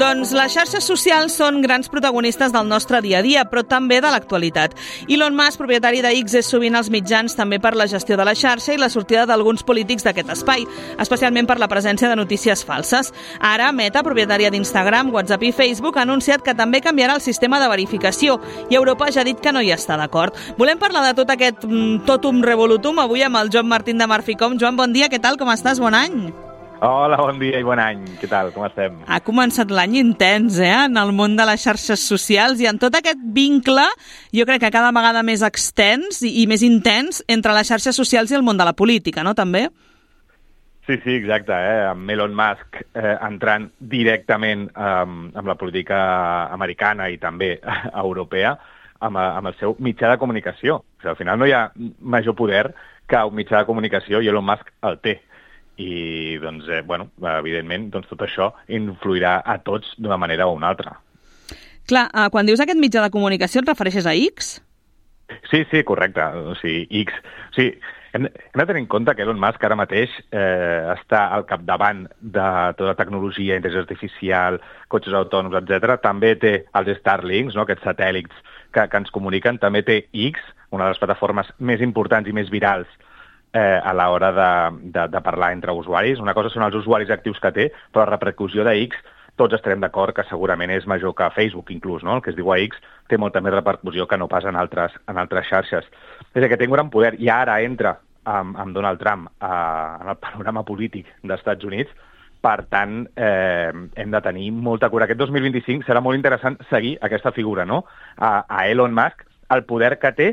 Doncs les xarxes socials són grans protagonistes del nostre dia a dia, però també de l'actualitat. Elon Musk, propietari de X, és sovint als mitjans també per la gestió de la xarxa i la sortida d'alguns polítics d'aquest espai, especialment per la presència de notícies falses. Ara, Meta, propietària d'Instagram, WhatsApp i Facebook, ha anunciat que també canviarà el sistema de verificació i Europa ja ha dit que no hi està d'acord. Volem parlar de tot aquest totum revolutum avui amb el Joan Martín de Marficom. Joan, bon dia, què tal, com estàs? Bon any! Hola, bon dia i bon any. Què tal? Com estem? Ha començat l'any intens, en el món de les xarxes socials i en tot aquest vincle, jo crec que cada vegada més extens i més intens entre les xarxes socials i el món de la política, no, també? Sí, exacte, amb Elon Musk entrant directament amb la política americana i també europea, amb el seu mitjà de comunicació. O sigui, al final no hi ha major poder que un mitjà de comunicació i Elon Musk el té. I, doncs, evidentment, tot això influirà a tots d'una manera o una altra. Clar, quan dius aquest mitjà de comunicació et refereixes a X? Sí, correcte. O sigui, X... O sigui, hem de tenir en compte que Elon Musk ara mateix està al capdavant de tota la tecnologia, intel·ligència artificial, cotxes autònoms, etc. També té els Starlinks, no?, aquests satèl·lits que ens comuniquen. També té X, una de les plataformes més importants i més virals a l'hora de parlar entre usuaris. Una cosa són els usuaris actius que té, però la repercussió de X, tots estarem d'acord que segurament és major que Facebook, inclús, no? El que es diu a X té molta més repercussió que no pas en altres xarxes. És que té un gran poder i ara entra amb Donald Trump en el panorama polític dels Estats Units. Per tant, hem de tenir molta cura. Aquest 2025 serà molt interessant seguir aquesta figura, no? A Elon Musk, el poder que té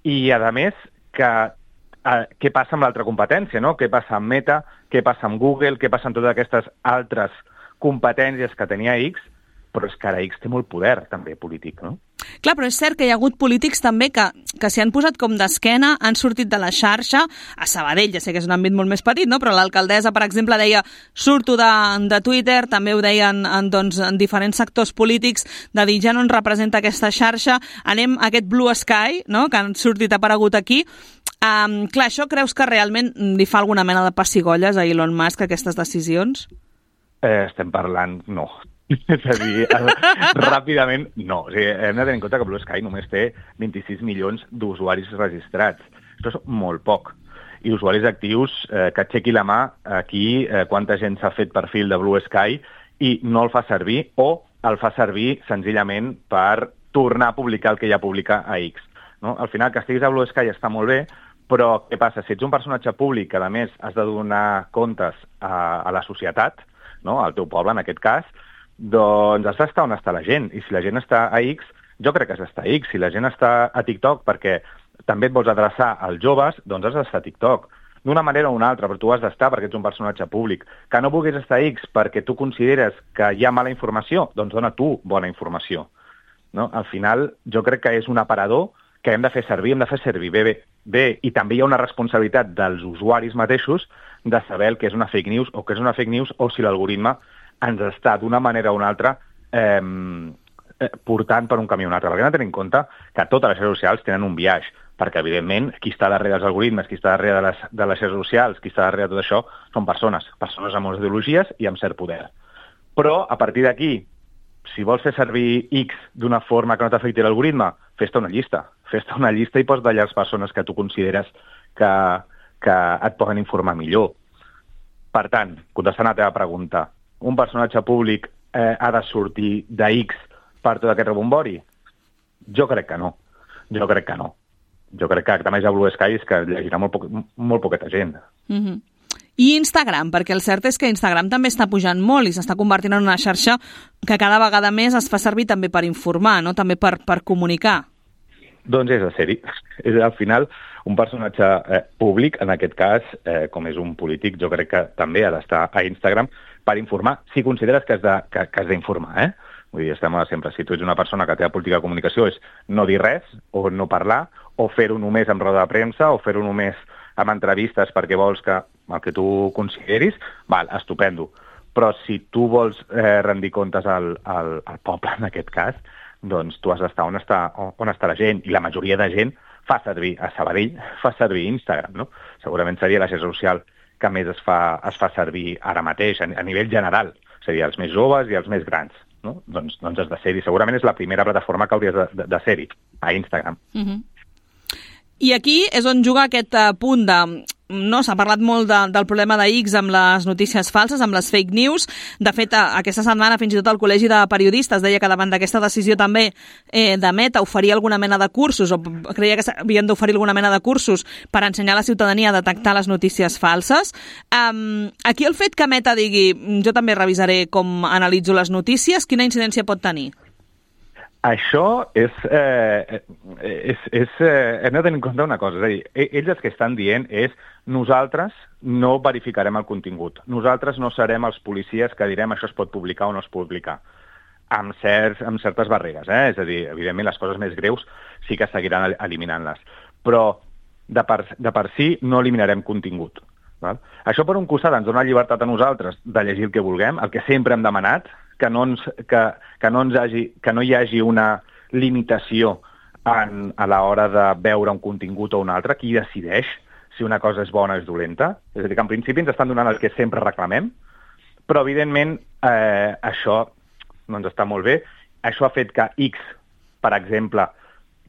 i, a més, què passa amb l'altra competència, no? Què passa amb Meta, què passa amb Google, què passa amb totes aquestes altres competències que tenia X, però és que ara X té molt poder, també, polític, no? Clar, però és cert que hi ha hagut polítics també que s'hi han posat com d'esquena, han sortit de la xarxa. A Sabadell, ja sé que és un àmbit molt més petit, no? Però l'alcaldessa, per exemple, deia surto de Twitter, també ho deien en diferents sectors polítics, de dir ja no ens representa aquesta xarxa, anem a aquest Blue Sky, no?, que han sortit, ha aparegut aquí. Clar, això creus que realment li fa alguna mena de pessigolles a Elon Musk aquestes decisions? Estem parlant, no. És a dir, ràpidament, no. O sigui, hem de tenir en compte que Blue Sky només té 26 milions d'usuaris registrats. Això és molt poc. I usuaris actius, que aixequi la mà aquí quanta gent s'ha fet perfil de Blue Sky i no el fa servir o el fa servir senzillament per tornar a publicar el que ja publica a X. No? Al final, que estiguis a Blue Sky està molt bé, però què passa? Si ets un personatge públic que, a més, has de donar comptes a la societat, no?, al teu poble, en aquest cas, doncs has d'estar on està la gent. I si la gent està a X, jo crec que has d'estar a X. Si la gent està a TikTok perquè també et vols adreçar als joves, doncs has d'estar a TikTok. D'una manera o una altra, però tu has d'estar perquè ets un personatge públic. Que no vulguis estar a X perquè tu consideres que hi ha mala informació, doncs dona tu bona informació. No? Al final, jo crec que és un aparador que hem de fer servir bé. I també hi ha una responsabilitat dels usuaris mateixos de saber el que és una fake news o què és una fake news o si l'algoritme ens està d'una manera o una altra portant per un camí o un altre. Perquè hem de tenir en compte que totes les xarxes socials tenen un biaix, perquè, evidentment, qui està darrere dels algoritmes, qui està darrere de les xarxes socials, qui està darrere de tot això, són persones amb moltes ideologies i amb cert poder. Però, a partir d'aquí, si vols fer servir X d'una forma que no t'afecti l'algoritme, fes-te una llista. Fes-te una llista i posa d'allà les persones que tu consideres que et poden informar millor. Per tant, contestant a la teva pregunta, un personatge públic ha de sortir de X per tot aquest rebombori? Jo crec que no. Jo crec que també hi ha Blue Sky és que llegirà molt poqueta gent. Mm-hmm. I Instagram, perquè el cert és que Instagram també està pujant molt i s'està convertint en una xarxa que cada vegada més es fa servir també per informar, no? També per comunicar. Doncs és de ser-hi. És al final un personatge públic, en aquest cas, com és un polític, jo crec que també ha d'estar a Instagram per informar, si consideres que has d'informar, Vull dir, estem sempre, si tu ets una persona que té la política de comunicació és no dir res, o no parlar, o fer-ho només amb roda de premsa, o fer-ho només amb entrevistes perquè vols que el que tu consideris, val, estupendo. Però si tu vols rendir comptes al poble, en aquest cas, doncs tu has d'estar on està la gent, i la majoria de gent fa servir, a Sabadell, fa servir Instagram, no? Segurament seria la xarxa social que més es fa servir ara mateix, a nivell general. és a dir, els més joves i els més grans. No? Doncs has de ser-hi. Segurament és la primera plataforma que hauries de ser-hi, a Instagram. I aquí és on juga aquest punt de... No, s'ha parlat molt del problema de X amb les notícies falses, amb les fake news. De fet, aquesta setmana fins i tot el Col·legi de Periodistes deia que davant d'aquesta decisió també de Meta oferia alguna mena de cursos, o creia que s'havien d'oferir alguna mena de cursos per ensenyar a la ciutadania a detectar les notícies falses. Aquí el fet que Meta digui jo també revisaré com analitzo les notícies, quina incidència pot tenir? Això hem de tenir en compte una cosa, és a dir, ells el que estan dient és nosaltres no verificarem el contingut, nosaltres no serem els policies que direm això es pot publicar o no es pot publicar, amb certes barreres, és a dir, evidentment les coses més greus sí que seguiran eliminant-les, però de per si no eliminarem contingut. Val? Això per un costat ens dona llibertat a nosaltres de llegir el que vulguem, el que sempre hem demanat, que no hi hagi una limitació a l'hora de veure un contingut o un altre, qui decideix si una cosa és bona o és dolenta. És a dir, que en principi ens estan donant el que sempre reclamem, però evidentment això no ens està molt bé. Això ha fet que X, per exemple,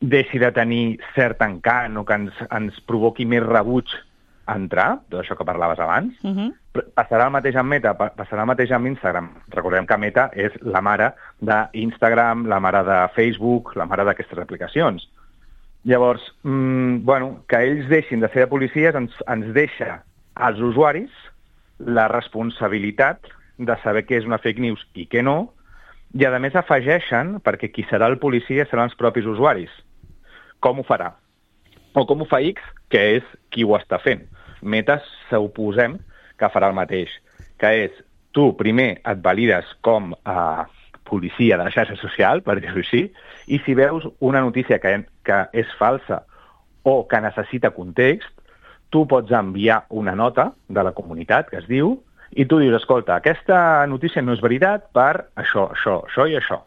deixi de tenir cert encant o que ens provoqui més rebuig a entrar, tot això que parlaves abans. Passarà el mateix amb Meta, passarà el mateix amb Instagram. Recordem que Meta és la mare d'Instagram, la mare de Facebook, la mare d'aquestes aplicacions. Llavors, que ells deixin de ser de policies ens deixa als usuaris la responsabilitat de saber què és una fake news i què no, i a més afegeixen, perquè qui serà el policia seran els propis usuaris. Com ho farà? O com ho fa X, que és qui ho està fent. Meta suposem que farà el mateix, que és tu primer et valides com a policia de la xarxa social, per dir-ho així, i si veus una notícia que és falsa o que necessita context, tu pots enviar una nota de la comunitat que es diu i tu dius, escolta, aquesta notícia no és veritat per això, això i això.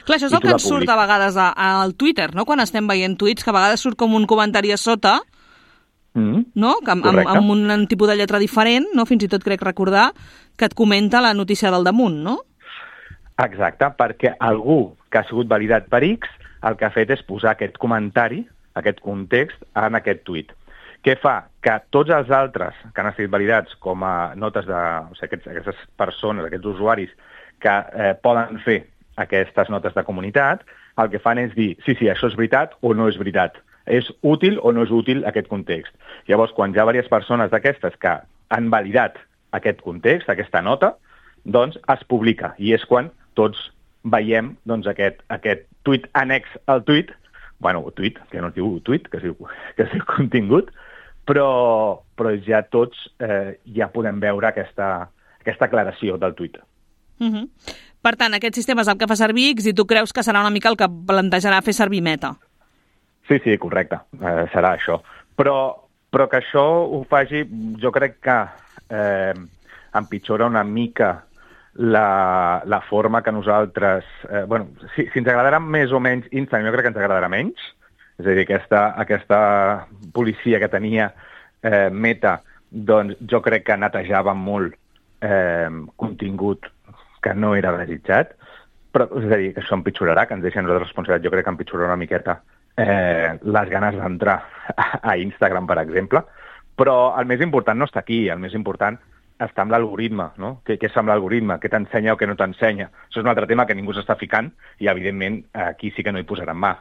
Clar, això és el que ens surt a vegades al Twitter, no? Quan estem veient tuits, que a vegades surt com un comentari a sota, no? Amb un tipus de lletra diferent, no? Fins i tot crec recordar que et comenta la notícia del damunt, no? Exacte, perquè algú que ha sigut validat per X el que ha fet és posar aquest comentari, aquest context, en aquest tuit. Què fa? Que tots els altres que han estat validats com a notes de... O sigui, aquestes persones, aquests usuaris que poden fer aquestes notes de comunitat, el que fan és dir, sí, això és veritat o no és veritat. És útil o no és útil aquest context. Llavors, quan hi ha diverses persones d'aquestes que han validat aquest context, aquesta nota, doncs es publica. I és quan tots veiem doncs, aquest tuit annex al tuit, tuit, que no es diu tuit, que es diu contingut, però ja tots ja podem veure aquesta aclaració del tuit. Per tant, aquest sistema és el que fa servir X i tu creus que serà una mica el que plantejarà fer servir Meta. Sí, correcte, serà això. Però que això ho faci, jo crec que empitjora una mica la forma que nosaltres... si ens agradarà més o menys Instagram, jo crec que ens agradarà menys. És a dir, aquesta policia que tenia Meta, doncs jo crec que netejava molt contingut que no era desitjat, però és a dir, que això empitjorarà, que ens deixa nosaltres responsabilitat, jo crec que empitjorarà una miqueta les ganes d'entrar a Instagram, per exemple, però el més important no està aquí, el més important està amb l'algoritme, no? Què és amb l'algoritme? Què t'ensenya o què no t'ensenya? Això és un altre tema que ningú s'està ficant i, evidentment, aquí sí que no hi posaran mà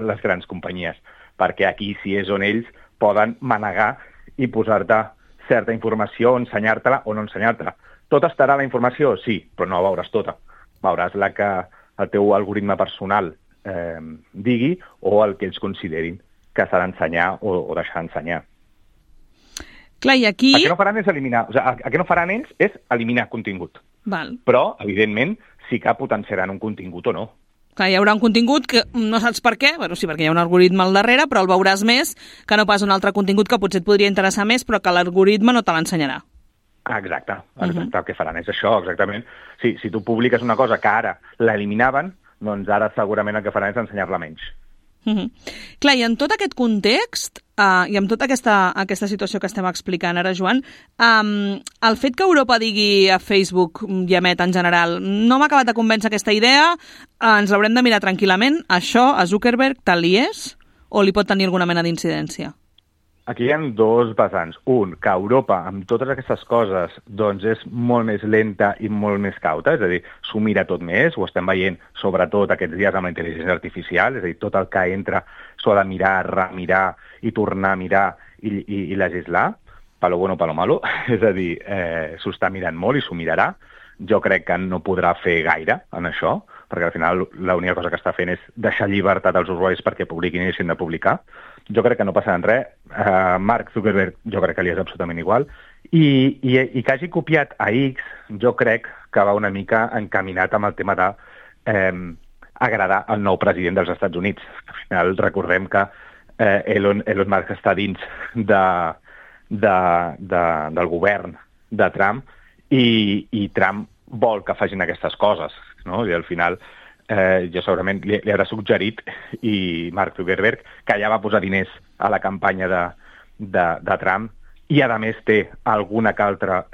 les grans companyies, perquè aquí sí és on ells poden manegar i posar-te certa informació, ensenyar-te-la o no ensenyar-te-la. Tot estarà a la informació? Sí, però no la veuràs tota. Veuràs la que el teu algoritme personal digui o el que ells considerin que s'ha d'ensenyar o deixar d'ensenyar. Clar, i aquí... El que no faran és eliminar... O sigui, el que no faran ells és eliminar contingut. Val. Però, evidentment, sí que potenciaran un contingut o no. Clar, hi haurà un contingut que no saps per què, sí, perquè hi ha un algoritme al darrere, però el veuràs més que no pas un altre contingut que potser et podria interessar més, però que l'algoritme no te l'ensenyarà. Exacte. El que faran és això, exactament. Si tu publiques una cosa que ara l'eliminaven, doncs ara segurament el que faran és ensenyar-la menys. Clar, i en tot aquest context i amb tota aquesta situació que estem explicant ara, Joan, el fet que Europa digui a Facebook i a Meta en general no m'ha acabat de convèncer aquesta idea, ens l'haurem de mirar tranquil·lament, això a Zuckerberg tal li és o li pot tenir alguna mena d'incidència? Aquí hi ha dos vessants. Un, que Europa, amb totes aquestes coses, doncs és molt més lenta i molt més cauta, és a dir, s'ho mira tot més, ho estem veient sobretot aquests dies amb la intel·ligència artificial, és a dir, tot el que entra s'ho ha de mirar, remirar i tornar a mirar i legislar, palo bueno, palo malo, és a dir, s'ho està mirant molt i s'ho mirarà. Jo crec que no podrà fer gaire en això, perquè al final l'única cosa que està fent és deixar llibertat als usuaris perquè publiquin i deixin de publicar. Jo crec que no passarà res. Mark Zuckerberg jo crec que li és absolutament igual. I que hagi copiat a X, jo crec que va una mica encaminat amb el tema de agradar el nou president dels Estats Units. Al final recordem que Elon Musk està dins del govern de Trump i Trump vol que facin aquestes coses, no? I al final jo segurament li haurà suggerit, i Mark Zuckerberg, que ja va posar diners a la campanya de Trump, i a més té alguna que altra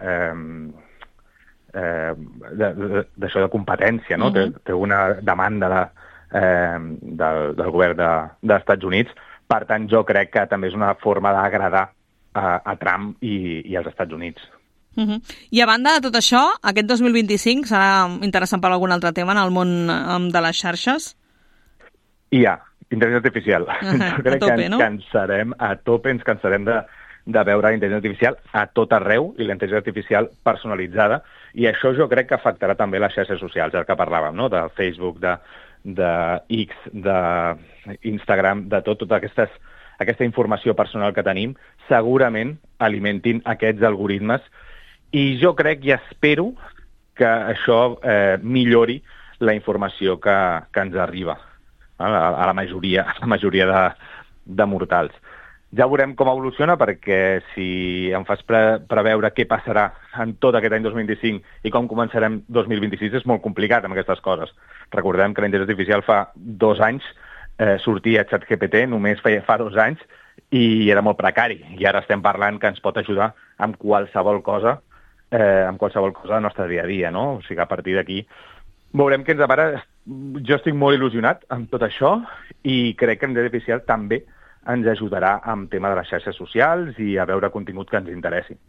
d'això de competència, no? Té una demanda del govern dels Estats Units. Per tant, jo crec que també és una forma d'agradar a Trump i als Estats Units. I a banda de tot això, aquest 2025 serà interessant per algun altre tema en el món de les xarxes? Hi ha intel·ligència artificial. Jo crec que ens cansarem a tope, ens cansarem de veure intel·ligència artificial a tot arreu i la intel·ligència artificial personalitzada, i això jo crec que afectarà també les xarxes socials, el que parlàvem, no? De Facebook, de X, d'Instagram, de tota aquesta informació personal que tenim, segurament alimentin aquests algoritmes. I jo crec i espero que això millori la informació que ens arriba a la majoria de mortals. Ja veurem com evoluciona, perquè si em fas preveure què passarà en tot aquest any 2025 i com començarem 2026 és molt complicat amb aquestes coses. Recordem que la intel·ligència artificial fa 2 anys sortia ChatGPT, només fa 2 anys, i era molt precari. I ara estem parlant que ens pot ajudar amb qualsevol cosa del nostre dia a dia, no? O sigui, a partir d'aquí veurem què ens depara. Jo estic molt il·lusionat amb tot això i crec que la intel·ligència artificial també ens ajudarà amb tema de les xarxes socials i a veure contingut que ens interessi.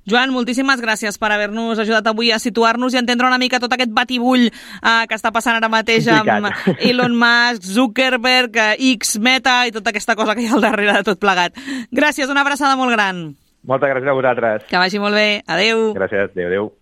Joan, moltíssimes gràcies per haver-nos ajudat avui a situar-nos i entendre una mica tot aquest batibull que està passant ara mateix amb Elon Musk, Zuckerberg, X, Meta i tota aquesta cosa que hi ha al darrere de tot plegat. Gràcies, una abraçada molt gran. Moltes gràcies a vosaltres. Que vagi molt bé. Adéu. Gràcies, adéu.